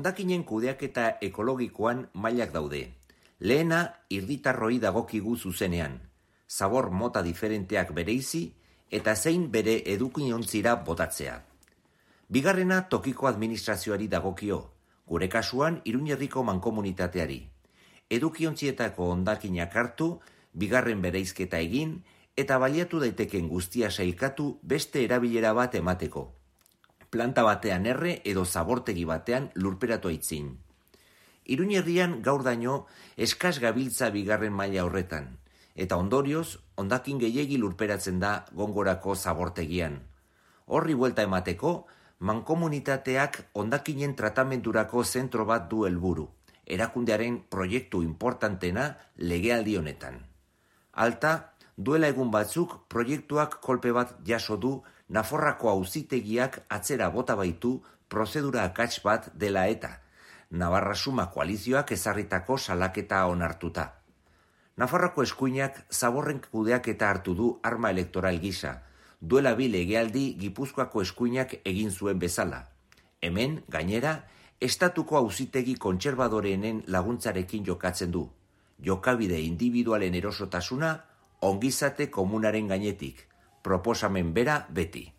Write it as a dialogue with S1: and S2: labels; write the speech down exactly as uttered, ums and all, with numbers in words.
S1: hondakinen kudeaketa ekologikoan mailak daude. Lehena, herritarroi dagokigu zuzenean. Zabor mota diferenteak bereizi eta zein bere edukiontzira botatzea. Bigarrena, tokiko administrazioari dagokio, gure kasuan Iruñerriko mankomunitateari. Edukiontzietako hondakinak hartu, bigarren bereizketa egin, eta baliatu daiteken guztia sailkatu beste erabilera bat emateko. Planta batean erre edo zabortegi batean lurperatu aitzin. Iruñerrian gaur daño eskas gabiltza bigarren maila horretan, eta ondorioz, hondakin gehiegi lurperatzen da Gongorako zabortegian. Horri buelta emateko, mankomunitateak hondakinen tratamendurako zentro bat du helburu, erakundearen proiektu importantena legealdi honetan. Alta, duela egun batzuk proiektuak kolpe bat jaso du Nafarroako auzitegiak atzera bota baitu prozedura akats bat dela eta Navarra Suma koalizioak ezarritako salaketa onartuta. Nafarroako eskuinak zaborren kudeaketa hartu du arma elektoral gisa, duela bi legealdi Gipuzkoako eskuinak egin zuen bezala. Hemen, gainera, estatuko auzitegi kontserbadoreenen laguntzarekin jokatzen du. Jokabide individualen erosotasuna ongizate komunaren gainetik, proposamen bera beti.